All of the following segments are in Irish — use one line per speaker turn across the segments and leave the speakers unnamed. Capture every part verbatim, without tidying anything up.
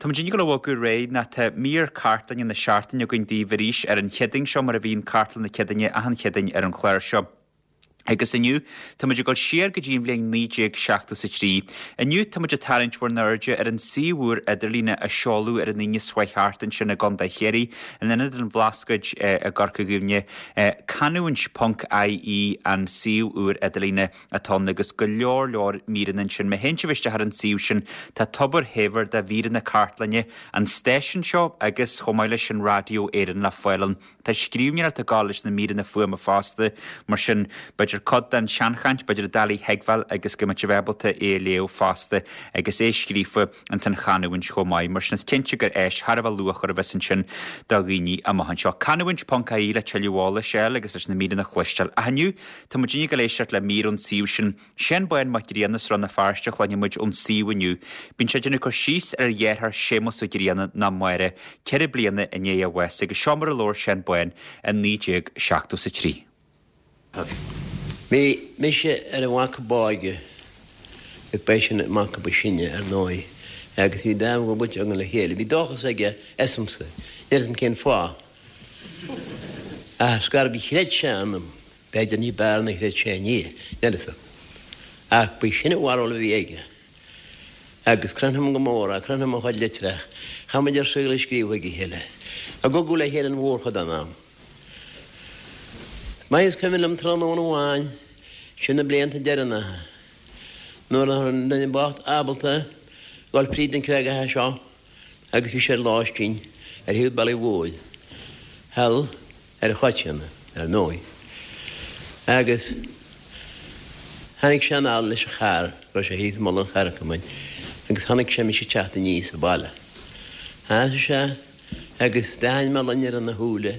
Tá muid ag dul a bhogadh ar aghaidh nó tá mír cartlainne na seachtaine againn daoibh arís ar an Chéadaoin seo mar a bhíonn cartlann na Céadaoine achan Chéadaoin ar an chlár seo. Agus inniu tá muid ag dul siar go dtí an bhliain naoi déag seachtó a trí. Inniu tá muid ag tarraingt bhur n-airde ar an suíomh úr idirlíne a seoladh ar an Aoine seo chuaigh thart ansin i gContae Chiarraí, in Ionad an Bhlascaoid i gCorca Dhuibhne. Canúint ponc IE an suíomh úr idirlíne atá ann agus go leor leor míreanna ansin. Má théann sibh isteach ar an suíomh sin tá tobar shaibhir de mhíreanna cartlainne an stáisiúin seo agus chomh maith leis sin Raidió Éireann le fáil ann. Tá scríbhneoireacht ag gabháil leis na míreanna fuaime fosta, mar sin b'fhéidir cuid den seanchaint, b'fhéidir doiligh a thuigbheáil agus go mbeidh sibh ábalta é a léamh fosta agus é scríofa ins an chanúint chomh maith. Mar sin is cinnte gur áis thar a bheith luachmhar a bheas ansin do dhaoine amach anseo. Canúint ponc IE le tuilleadh eolais a fháil agus leis na míreanna a chloisteáil. Ach inniu tá muid ag dul éisteacht le mír ón suíomh sin. Seán Bán Mac Grianna as Rann na Feirste a chluinfidh muid ón suíomh inniu. Bíonn sé ag déanamh cur síos ar a dheartháir Séamus Ó Grianna ná Máire ceithre bliana i ndiaidh a bháis agus seo mar a labhair Seán Bán i naoi déag seachtó a trí.
Bhí mise ar an mhac ab óige, ba eisean an mac ba shine, ar ndóigh, agus bhí dáimh dhúbailte againn le chéile. Bhí dóchas aige asamsa, níl 'fhios a'm cén fáth. Ach ar scor ar bith chreid sé ionam, b'fhéidir ní b'fhearr ná chreid sé i nDia, níl 'fhios a'm. Ach ba sin an bharúil a bhí aige. Agus cronaim go mór é, cronaim a chuid litreach. Chaith muid ár saol ag scríobh chuig a chéile. Ag cogadh le chéile an mhórchuid den am. Is maith is cuimhin liom tráthnóna amháin, sin na blianta deireanacha, nuair nach raibh an duine bocht ábalta dul fríd an creagach seo agus bhí sé ar lóistín ar thaobh bealaigh mhóir thall ar an Choitíona, ar ndóigh. Agus tháinig sé anall leis an charr, raibh sé thíos i mullach an Charrcamain, agus chonaic sé mise ag teacht aníos an baile. Sheasaigh sé agus d'aithin mé loinnir ina shúile,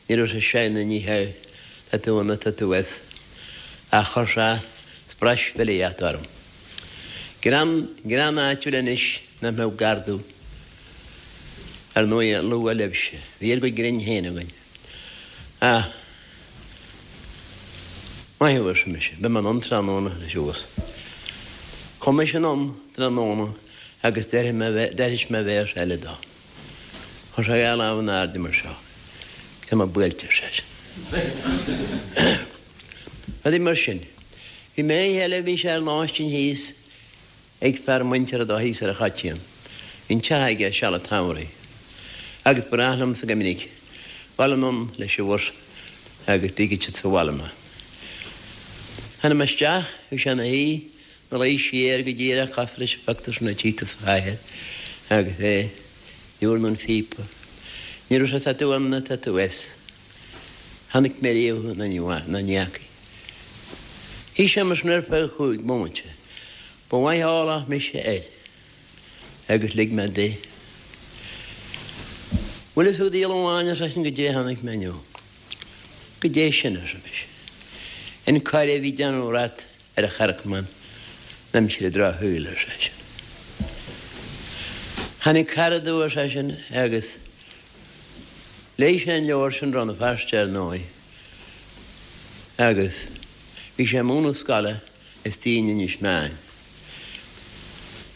ní raibh sé sea ná ní hea, tá tú ann nó tá tú as, ach chuir sé sprais filíochta orm. Greann, greann áitiúil anois nach mbeadh gar domh. Ar ndóigh, a lua libhse, bhí ár gcuid grinn féin againn. Ach, maith thú, arsa mise, beidh mé anonn tráthnóna leis abhus. Chuaigh mise anonn tráthnóna agus d'aithris mé véarsa eile dó. Chuir sé a dhá lámh in airde mar seo. Tá mé buailte, ar seisean. Rudaí mar sin. Bhí mé oíche eile, bhí sé ar lóistín thíos ag fear muinteartha dó thíos ar an Choitíon. Bhí an teach aige seal an tsamhraidh. Agus ba ghnách liomsa go minic dul anonn leis an bhus agus d'fhígfeadh siad sa bhaile mé. Tháinig mé isteach, bhí sé ina shuí, ina luí siar go díreach cosúil leis an phictiúr sin a tchí tú sa chathair agus é ag diúrnú an phíopa. Ní raibh sé tá tú ann ná tá tú as. Chonaic mé riamh thú ná ní fhaca. Shuigh sé mar sin ar feadh chúig bomaite. Ba mhaith eolach mise air agus lig mé di. Bhfuil fhios agat a dhiabhail amháin, ar seisean, goidé a chonaic mé inniu. Goidé sin, arsa mise. An coir a bhí ag déanamh rat ar an Charracamán in aimsir an drochshaoil, ar seisean. Tháinig cara domh, ar seisean, agus léigh sé an leabhar sin Rann na Feirste, ar ndóigh, agus bhí sé ag múineadh scoile istigh in Inis Meáin.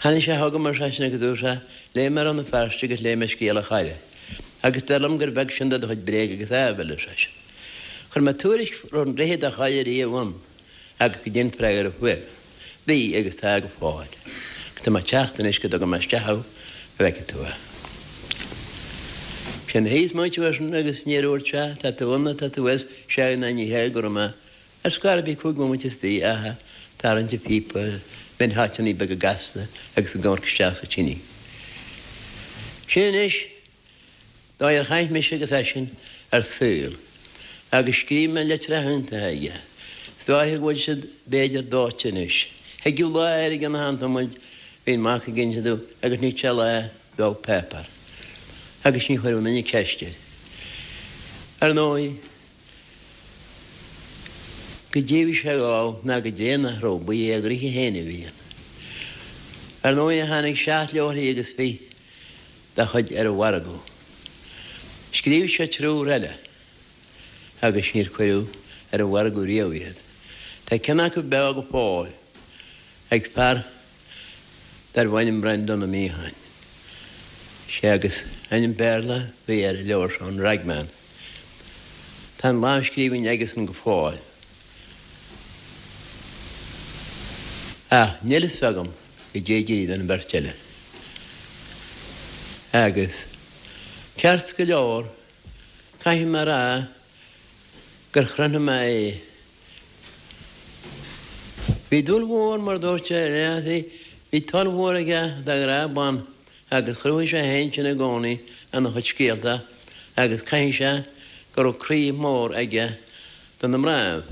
Tháinig sé chugam, ar seisean, agus dúirt sé, Léigh mé Rann na Feirste agus léigh mé Scéal an Choire, agus dar liom gur bheag sin de do chuid bréag agus áibhéil, ar seisean. Chuir mé tuairisc raibh an droichead á chur ariamh ann agus goidé an freagra a fuair mé. Bhí agus tá go fóill. Agus tá mé ag teacht anois go dtuga mé isteach thú go bhfeicfidh tú é. Sin thíos muid uair agus níor dhúirt sé, tá tú ann nó tá tú as, sea ná ní hea go raibh mé Ar scor ar bith cúig bhomaite is fiche ag tarraingt an phíopa, bheinn háiteanna beaga gasta agus ag amharc isteach sa tine. Sin anois dóigh ar chaith mise agus eisean ár saol agus scríobh mé litreacha iontacha aige. Is dóiche go bhfuil siad b'fhéidir dóite anois. Thigeadh lá air i gcionn achan tamaill, bhí an mac ag inse domh agus ní sé lá dó páipéar agus ní chuireadh aon duine ceist air. Ar ndóigh, Goidé a bhí sé ag ól ná goidé nach raibh, ba é a ghnoithe féin a bhí ann. Ar ndóighe tháinig seacht leabharthaí agus fiche dá chuid ar an mhargadh. Scríobh sé triúr eile agus níor cuireadh ar an mhargadh riamh iad. Tá ceann acu beo go fóill ag fear darbh ainm Breandán Ó Miacháin. Sé agus ainm Béarla a bhí ar an leabhar seo, an Ragman. Tá an lámhscríbhinn aigesan go fóill. Ach níl fhios agam goidé a d'éirigh den bheirt eile. Agus, ceart go leor, caithfidh mé a rá gur chronaigh mé é. Bhí dúil mhór, mar a dúirt sé, bhí toil mhór aige do ghrá ban agus chruthaigh sé féin sin i gcónaí ina chuid scéalta agus caithfidh sé go raibh croí mór aige do na mnáibh.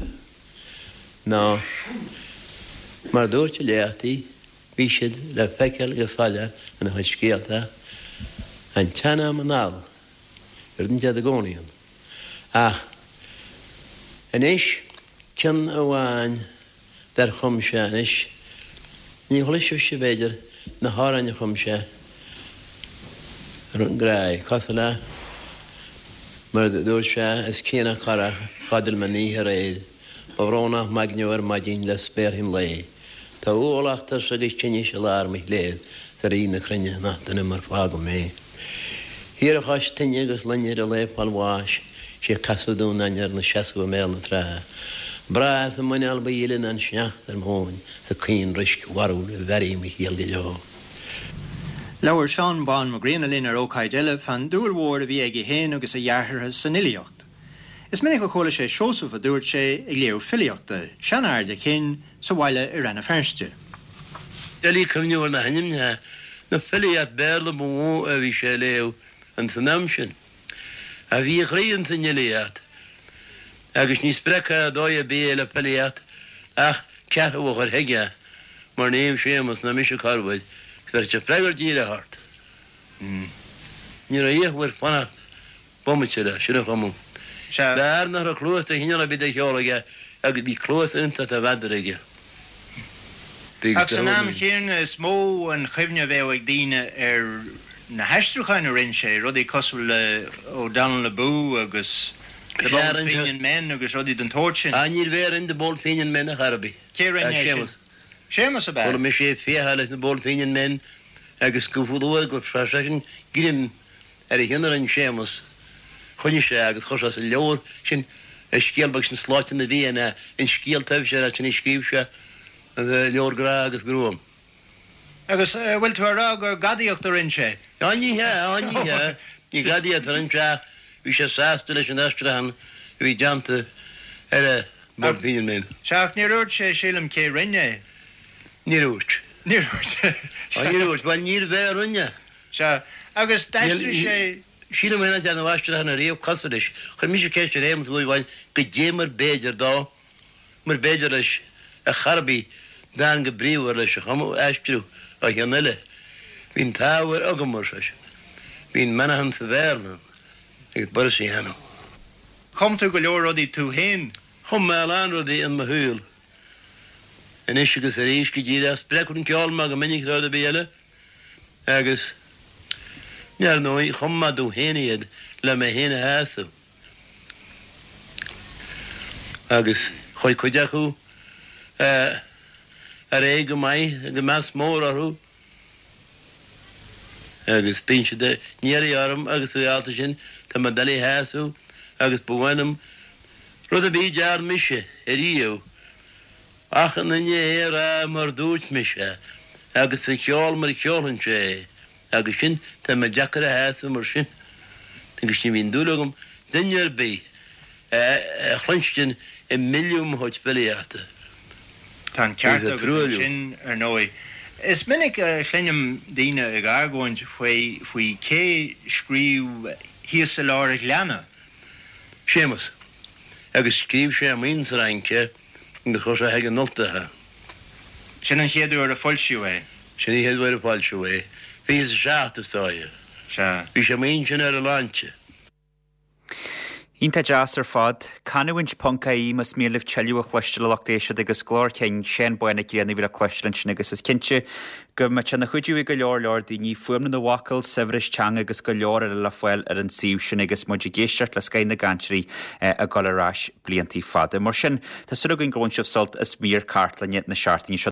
Nó, mar a dúirt a léachtaí, bhí siad le feiceáil go soiléir ina chuid scéalta an tsean-am anall, gur fhan siad i gcónaí ann. Ach anois, ceann amháin dar chum sé anois, ní chloisfibhse, b'fhéidir, na hamhráin a chum sé ar an ngrá, cosúil le, mar a dúirt sé, is cianach corrach a chodail mé an oíche aréir, ba bhrónach m'aigne ar maidin le spéarthaí an lae. Tá ualach tuirse agus tinnis i lár mo chléibh 's a Rí na cruinne nach dona mar fágadh mé. Thiar cois tine agus loinnir a lao fáil bháis, 'sé casadh Dún Ainnir 'na seasamh i mbéal na trá. Breá is a muineál ba dhíle ná an sneachta ar m'thóin 's a caoinroisc bharrúil a bhearrfaidh mo chiall go deo.
Labhair Seán Bán Mac Grianna linn ar ócáid eile fán dúil mhór a bhí aige féin agus a dheartháireacha san fhilíocht. Is minic a chuala sé Seosamh, a dúirt sé, ag léamh filíochta, seanfhear de chinn, sa bhaile i Rann na Feirste.
Doiligh cuimhneamh ar na hainmneacha, na filíocht Béarla ba mhó a bhí sé a léamh ins an am sin. Ach bhí a chroí ins an fhilíocht agus ní spreagfá ar dóigh ar bith é le filíocht ach ceathrú a chur chuige mar Naomh Séamus ná mise corruair, bheir sé freagra díreach ort. Ní raibh fhiachuair fanacht bomaite leis, sin a chumadh. B'fhearr nach raibh cluas de chineál ar bith do cheol aige agus bhí cluas iontach do mheadar aige.
Ach san am chéanna is mó an chuimhne a bheadh ag daoine ar na haistriúcháin a rinne sé, rudaí cosúil le O'Donnell Abú agus The Bold Fenian Men agus rudaí den tsórt sin.
Ah, níorbh é a rinne The Bold Fenian Men ar chor ar bith.
Cé a rinne é sin? Séamus ab ea?
Chuala mise é ag fiacháil leis na Bold Fenian Men agus go luath go raibh seisean greim ar a cheann a rinne Séamus. Choinnigh sé agus chuir sé sa leabhar sin an scéal beag sin Sláinte na bhFiann é, an scéal taibhse sin a scríobh sé, an leabhar Grá agus Gruaim.
Agus an bhfuil tú a rá gur gadaíocht a rinne sé?
Á ní hea, á ní hea, ní gadaíocht a rinne sé ach bhí sé sásta leis an aistriúchán a bhí déanta ar an Bold Fenian Men.
Sea, ach níor dhúirt sé, sílim, cé rinne é.
Níor dhúirt.
Níor dhúirt.
Á níor dhúirt, bhuel níorbh é a rinne.
Sea, agus d'aistrigh sé.
Sílim féin nach ndearnadh aistriúchán ariamh cosúil leis. Chuir mise ceist ar Shéamus uair amháin goidé mar b'fhéidir dó, mar b'fhéidir leis ar chor ar bith dán chomh bríomhar leis a chumadh, a aistriú ó cheann eile. Bhí an t-ábhar agam, ar seisean. Bhí an meáchan sa Bhéarla agus b'fhurast a dhéanamh.
Chum tú go leor rudaí tú féin.
Chum mé a lán rudaí in mo shaol. Anois agus arís, go díreach, spreagfar an ceol mé go minic rud ar bith eile agus, ar ndóigh, chum mé domh féin iad le mé féin a shásamh. Agus chuaigh cuid acu ar aghaidh go maith agus meas mór orthu agus bíonn siad á n-iarraidh orm agus dá bhrí sin tá mé doiligh a shásamh agus ba mhaith liom rud ar bith a dearn mise ariamh achan duine é a rá mar dúirt mise agus a cheol mar a cheolfainnse é agus sin tá mé deacair a shásamh mar sin agus ní bhíonn dúil agam duine ar bith a chluinstin ag milleadh mo chuid filíochta.
Tá an ceart agat ansin, ar ndóigh. Is minic a chluinim daoine ag argóint faoi faoi cé scríobh Thíos i Lár an Ghleanna.
Séamus. Agus scríobh sé amuigh sa Fhrainc é agus chuir sé chuig an Ultach é.
Sin an chéad uair a foilsíodh é.
Sin an chéad uair a foilsíodh é. Fiche is a seacht, is dóigh.
Sea.
Bhí sé amuigh ansin ar a shláinte.
Iontach deas ar fad. Canúint ponc ie más mian libh tuilleadh a chloisteáil a lucht éisteachta agus glór cinn Seán Bán Mac Grianna a bhí le cloisteáil ansin agus is cinnte go mbeadh sé ina chuidiú ag go leor leor daoine fuaimniú na bhfocal, saibhreas teanga agus go leor eile le fáil ar an suíomh sin agus muid ag éisteacht le scoth na gcainteoirí ag dul ar ais blianta fada. Mar sin, tá súil againn gur bhain sibh sult as mír cartlainne na seachtaine seo.